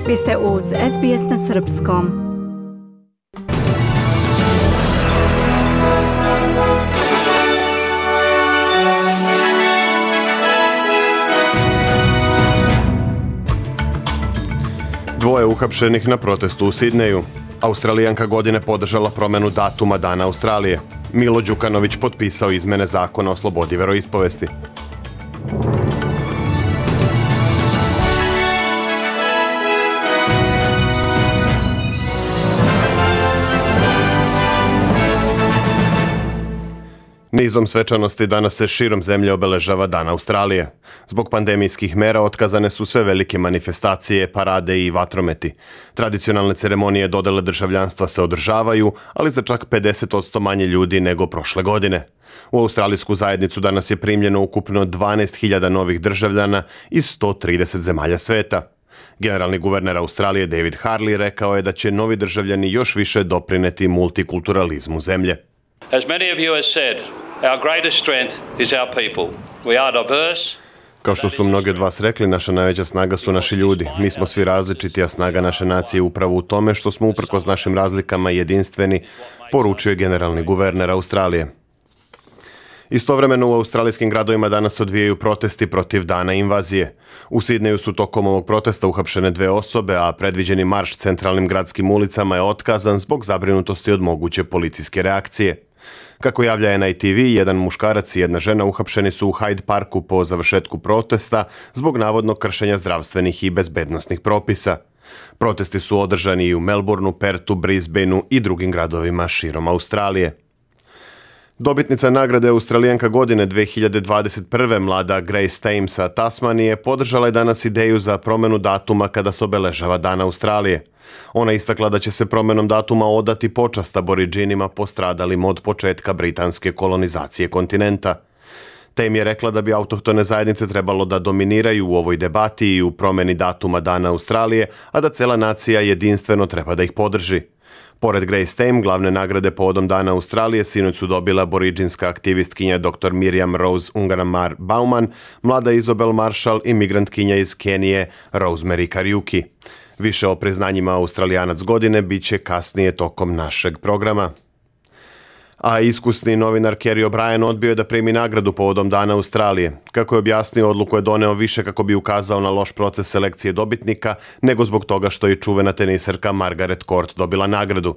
Vi ste uz SBS na srpskom. Dvoje uhapšenih na protestu u Sidneju. Australijanka godine podržala promenu datuma Dana Australije. Milo Đukanović potpisao izmene zakona o slobodi veroispovesti. Nizom svečanosti danas se širom zemlje obeležava Dan Australije. Zbog pandemijskih mera otkazane su sve velike manifestacije, parade i vatrometi. Tradicionalne ceremonije dodele državljanstva se održavaju, ali za čak 50% manje ljudi nego prošle godine. U australijsku zajednicu danas je primljeno ukupno 12.000 novih državljana iz 130 zemalja sveta. Generalni guverner Australije David Harley rekao je da će novi državljani još više doprineti multikulturalizmu zemlje. As many of you have said, our greatest strength is our people. We are diverse. Kao što su mnogi od vas rekli, naša najveća snaga su naši ljudi. Mi smo svi različiti, a snaga naše nacije je upravo u tome što smo uprkos našim razlikama jedinstveni, poručio je generalni guverner Australije. Istovremeno u australijskim gradovima danas odvijaju protesti protiv dana invazije. U Sidneju su tokom ovog protesta uhapšene 2 osobe, a predviđeni marš centralnim gradskim ulicama je otkazan zbog zabrinutosti od moguće policijske reakcije. Kako javlja NITV, jedan muškarac i jedna žena uhapšeni su u Hyde Parku po završetku protesta zbog navodnog kršenja zdravstvenih i bezbednosnih propisa. Protesti su održani i u Melbourneu, Perthu, Brisbaneu i drugim gradovima širom Australije. Dobitnica nagrade Australijanka godine 2021. mlada Grace Tame sa Tasmanije podržala je danas ideju za promenu datuma kada se obeležava Dan Australije. Ona istakla da će se promenom datuma odati počast Aboridžinima postradalim od početka britanske kolonizacije kontinenta. Tame je rekla da bi autohtone zajednice trebalo da dominiraju u ovoj debati i u promeni datuma Dana Australije, a da cela nacija jedinstveno treba da ih podrži. Pored Grace Tame, glavne nagrade povodom Dana Australije sinoć su dobila aboriđinska aktivistkinja dr. Miriam Rose Ungaramar Bauman, mlada Isabel Marshall i migrantkinja iz Kenije Rosemary Kariuki. Više o priznanjima Australijanac godine bit će kasnije tokom našeg programa. A iskusni novinar Kerry O'Brien odbio je da primi nagradu povodom Dana Australije. Kako je objasnio, odluku je doneo više kako bi ukazao na loš proces selekcije dobitnika, nego zbog toga što je čuvena teniserka Margaret Court dobila nagradu.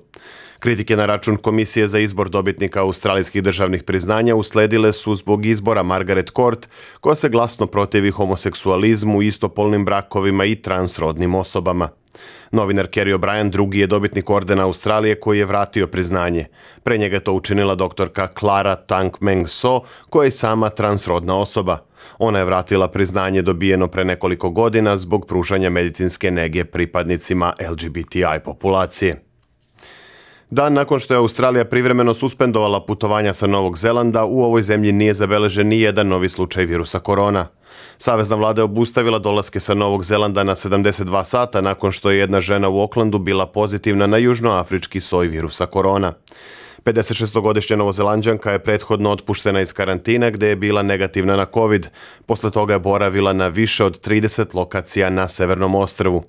Kritike na račun Komisije za izbor dobitnika australijskih državnih priznanja usledile su zbog izbora Margaret Court, koja se glasno protivi homoseksualizmu, istopolnim brakovima i transrodnim osobama. Novinar Kerry O'Brien drugi je dobitnik ordena Australije koji je vratio priznanje. Pre njega je to učinila doktorka Clara Tang Meng So, koja je sama transrodna osoba. Ona je vratila priznanje dobijeno pre nekoliko godina zbog pružanja medicinske nege pripadnicima LGBTI populacije. Dan nakon što je Australija privremeno suspendovala putovanja sa Novog Zelanda, u ovoj zemlji nije zabeležen ni jedan novi slučaj virusa korona. Savezna vlada je obustavila dolaske sa Novog Zelanda na 72 sata nakon što je jedna žena u Aucklandu bila pozitivna na južnoafrički soj virusa korona. 56-godišnja Novozelanđanka je prethodno otpuštena iz karantina gde je bila negativna na COVID. Posle toga je boravila na više od 30 lokacija na Severnom ostrvu.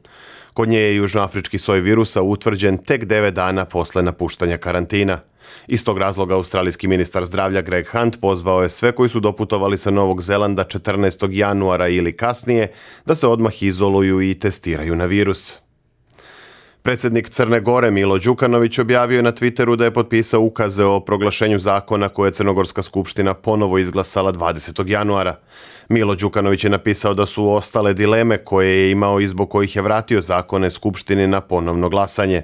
Kod nje je južnoafrički soj virusa utvrđen tek 9 dana posle napuštanja karantina. Iz tog razloga australijski ministar zdravlja Greg Hunt pozvao je sve koji su doputovali sa Novog Zelanda 14. januara ili kasnije da se odmah izoluju i testiraju na virus. Predsjednik Crne Gore Milo Đukanović objavio je na Twitteru da je potpisao ukaze o proglašenju zakona koje je Crnogorska skupština ponovo izglasala 20. januara. Milo Đukanović je napisao da su ostale dileme koje je imao i zbog kojih je vratio zakone Skupštini na ponovno glasanje.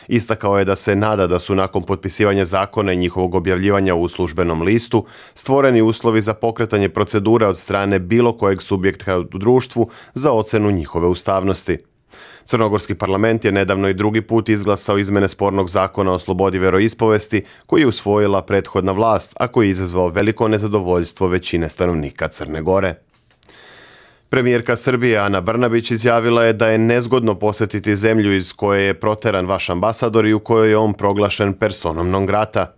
Istakao je da se nada da su nakon potpisivanja zakona i njihovog objavljivanja u službenom listu stvoreni uslovi za pokretanje procedura od strane bilo kojeg subjekta u društvu za ocenu njihove ustavnosti. Crnogorski parlament je nedavno i drugi put izglasao izmene spornog zakona o slobodi veroispovesti koji je usvojila prethodna vlast, a koji je izazvao veliko nezadovoljstvo većine stanovnika Crne Gore. Premijerka Srbije Ana Brnabić izjavila je da je nezgodno posetiti zemlju iz koje je proteran vaš ambasador i u kojoj je on proglašen personom non grata.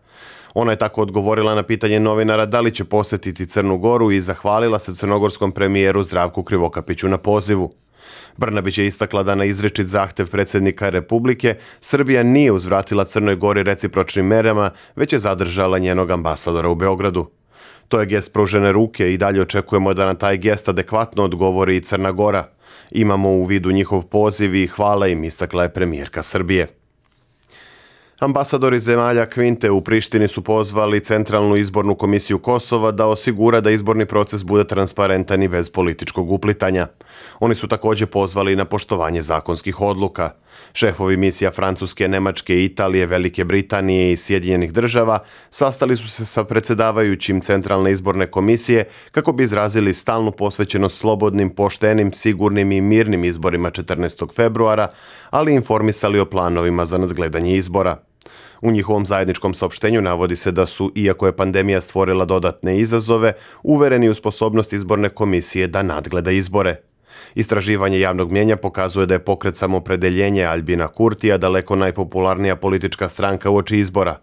Ona je tako odgovorila na pitanje novinara da li će posetiti Crnu Goru i zahvalila se crnogorskom premijeru Zdravku Krivokapiću na pozivu. Brnabić je istakla da na izričit zahtev predsjednika Republike Srbija nije uzvratila Crnoj Gori recipročnim merama, već je zadržala njenog ambasadora u Beogradu. To je gest pružene ruke i dalje očekujemo da na taj gest adekvatno odgovori i Crna Gora. Imamo u vidu njihov poziv i hvala im, istakla je premijerka Srbije. Ambasadori zemalja Kvinte u Prištini su pozvali Centralnu izbornu komisiju Kosova da osigura da izborni proces bude transparentan i bez političkog uplitanja. Oni su također pozvali na poštovanje zakonskih odluka. Šefovi misija Francuske, Nemačke, Italije, Velike Britanije i Sjedinjenih država sastali su se sa predsjedavajućim Centralne izborne komisije kako bi izrazili stalnu posvećenost slobodnim, poštenim, sigurnim i mirnim izborima 14. februara, ali informisali o planovima za nadgledanje izbora. U njihovom zajedničkom saopštenju navodi se da su, iako je pandemija stvorila dodatne izazove, uvereni u sposobnost izborne komisije da nadgleda izbore. Istraživanje javnog mnijenja pokazuje da je pokret Samoopredeljenje Aljbina Kurtija daleko najpopularnija politička stranka uoči izbora.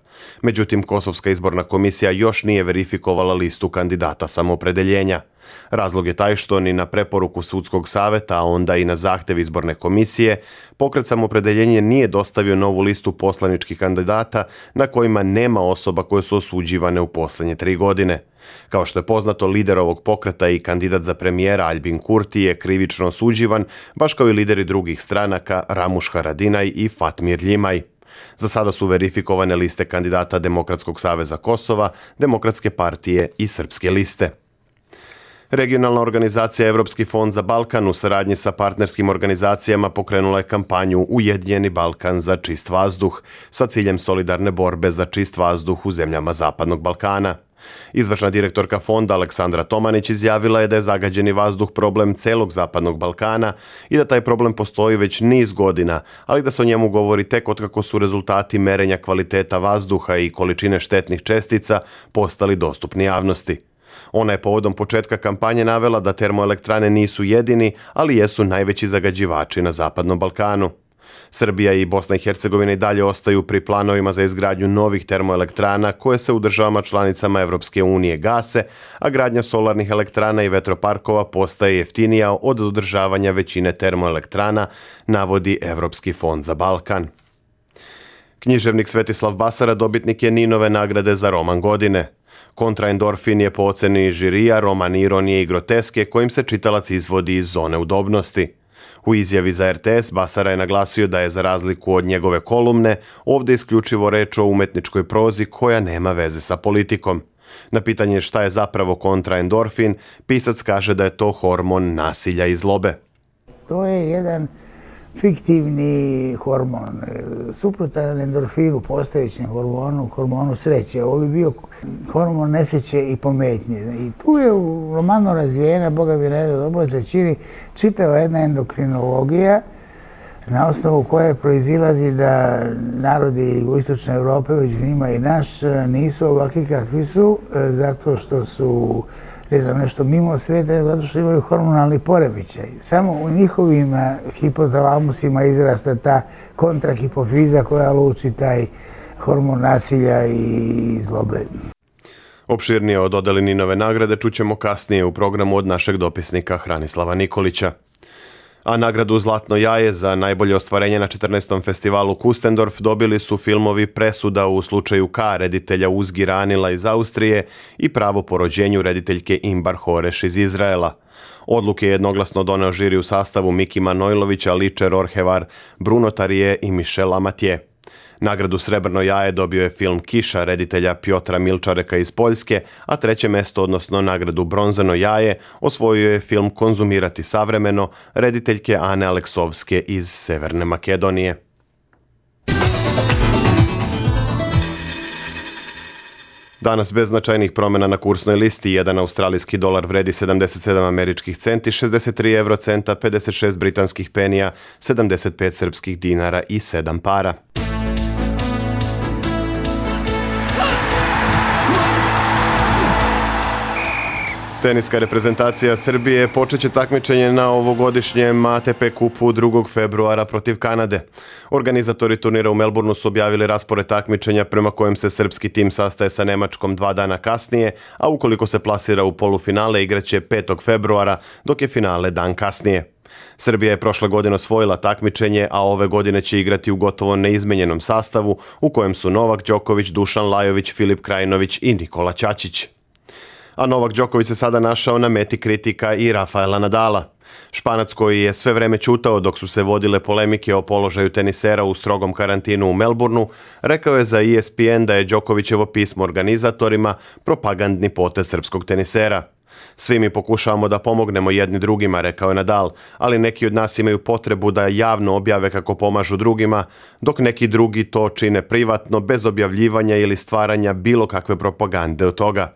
Međutim, Kosovska izborna komisija još nije verifikovala listu kandidata Samoopredeljenja. Razlog je taj što ni na preporuku sudskog saveta, a onda i na zahtev izborne komisije, pokret Samoopredeljenje nije dostavio novu listu poslaničkih kandidata na kojima nema osoba koje su osuđivane u posljednje 3 godine. Kao što je poznato, lider ovog pokreta i kandidat za premijera Aljbin Kurti je krivično osuđivan, baš kao i lideri drugih stranaka Ramuš Haradinaj i Fatmir Ljimaj. Za sada su verifikovane liste kandidata Demokratskog saveza Kosova, Demokratske partije i Srpske liste. Regionalna organizacija Evropski fond za Balkan u saradnji sa partnerskim organizacijama pokrenula je kampanju Ujedinjeni Balkan za čist vazduh sa ciljem solidarne borbe za čist vazduh u zemljama Zapadnog Balkana. Izvršna direktorka fonda Aleksandra Tomanić izjavila je da je zagađeni vazduh problem celog Zapadnog Balkana i da taj problem postoji već niz godina, ali da se o njemu govori tek otkako su rezultati merenja kvaliteta vazduha i količine štetnih čestica postali dostupni javnosti. Ona je povodom početka kampanje navela da termoelektrane nisu jedini, ali jesu najveći zagađivači na Zapadnom Balkanu. Srbija i Bosna i Hercegovina i dalje ostaju pri planovima za izgradnju novih termoelektrana koje se u državama članicama Evropske unije gase, a gradnja solarnih elektrana i vetroparkova postaje jeftinija od održavanja većine termoelektrana, navodi Evropski fond za Balkan. Književnik Svetislav Basara dobitnik je Ninove nagrade za roman godine. Kontraendorfin je po oceni žirija roman ironije i groteske kojim se čitalac izvodi iz zone udobnosti. U izjavi za RTS Basara je naglasio da je za razliku od njegove kolumne ovdje isključivo reč o umetničkoj prozi koja nema veze sa politikom. Na pitanje šta je zapravo kontraendorfin, pisac kaže da je to hormon nasilja i zlobe. To je jedan fiktivni hormon, suprotan endorfinu, postojećem hormonu sreće. Ovo bi bio hormon nesreće i pometnje. I tu je u romanu razvijena, Boga bi ne dobro trećini, čitava jedna endokrinologija na osnovu koje proizilazi da narodi jugoistočne Evrope, među njima i naš, nisu ovakvi kakvi su, zato što su nešto mimo sveta, zato što imaju hormonalni poremećaj. Samo u njihovim hipotalamusima izrasta ta kontrahipofiza koja luči taj hormon nasilja i zlobe. Opširnije o dodeli Ninove nagrade čućemo kasnije u programu od našeg dopisnika Hranislava Nikolića. A nagradu Zlatno jaje za najbolje ostvarenje na 14. festivalu Kustendorf dobili su filmovi Presuda u slučaju K reditelja Uzgi Ranila iz Austrije i Pravo po rođenju rediteljke Imbar Horeš iz Izraela. Odluke je jednoglasno doneo žiri u sastavu Miki Manojlovića, Ličer Orhevar, Bruno Tarije i Michel Amatije. Nagradu Srebrno jaje dobio je film Kiša reditelja Pjotra Milčareka iz Poljske, a treće mesto, odnosno nagradu Bronzano jaje, osvojio je film Konzumirati savremeno rediteljke Ane Aleksovske iz Severne Makedonije. Danas bez značajnih promjena na kursnoj listi. Jedan australijski dolar vredi 77 američkih centi, 63 eurocenta, 56 britanskih penija, 75 srpskih dinara i 7 para. Teniska reprezentacija Srbije počeće takmičenje na ovogodišnjem ATP kupu 2. februara protiv Kanade. Organizatori turnira u Melbourneu su objavili raspored takmičenja prema kojem se srpski tim sastaje sa Nemačkom 2 dana kasnije, a ukoliko se plasira u polufinale igraće 5. februara, dok je finale dan kasnije. Srbija je prošle godine osvojila takmičenje, a ove godine će igrati u gotovo neizmenjenom sastavu u kojem su Novak Đoković, Dušan Lajović, Filip Krajinović i Nikola Ćaćić. A Novak Đoković se sada našao na meti kritika i Rafaela Nadala. Španac koji je sve vreme ćutao dok su se vodile polemike o položaju tenisera u strogom karantinu u Melbourneu, rekao je za ESPN da je Đokovićevo pismo organizatorima propagandni potez srpskog tenisera. Svi mi pokušavamo da pomognemo jedni drugima, rekao je Nadal, ali neki od nas imaju potrebu da javno objave kako pomažu drugima, dok neki drugi to čine privatno, bez objavljivanja ili stvaranja bilo kakve propagande od toga.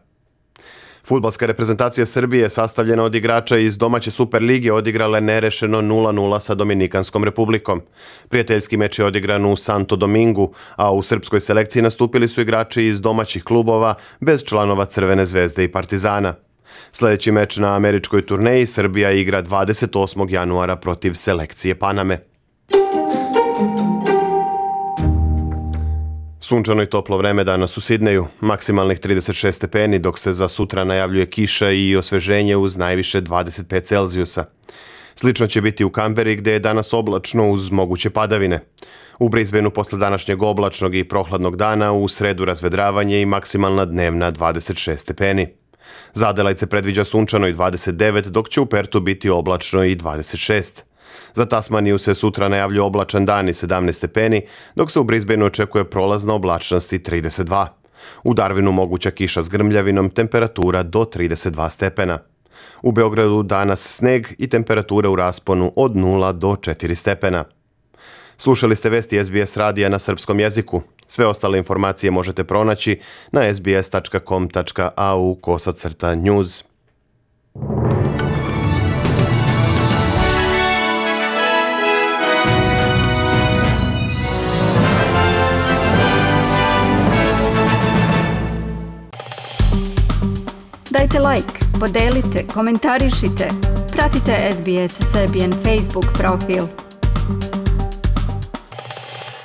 Fudbalska reprezentacija Srbije, sastavljena od igrača iz domaće Superlige, odigrala je nerešeno 0-0 sa Dominikanskom republikom. Prijateljski meč je odigran u Santo Domingu, a u srpskoj selekciji nastupili su igrači iz domaćih klubova bez članova Crvene zvezde i Partizana. Sljedeći meč na američkoj turneji Srbija igra 28. januara protiv selekcije Paname. Sunčano i toplo vreme danas u Sidneju, maksimalnih 36 stepeni, dok se za sutra najavljuje kiša i osveženje uz najviše 25 Celzijusa. Slično će biti u Kamberi, gde je danas oblačno uz moguće padavine. U Brisbaneu posle današnjeg oblačnog i prohladnog dana u sredu razvedravanje i maksimalna dnevna 26 stepeni. Za Adelaide se predviđa sunčano i 29, dok će u Pertu biti oblačno i 26. Za Tasmaniju se sutra najavljuje oblačan dan i 17 stepeni, dok se u Brisbaneu očekuje prolazna oblačnost i 32. U Darwinu moguća kiša s grmljavinom, temperatura do 32 stepena. U Beogradu danas sneg i temperatura u rasponu od 0 do 4 stepena. Slušali ste vesti SBS radija na srpskom jeziku. Sve ostale informacije možete pronaći na sbs.com.au/news. Dajte like, podelite, komentarišite. Pratite SBS Serbian Facebook profil.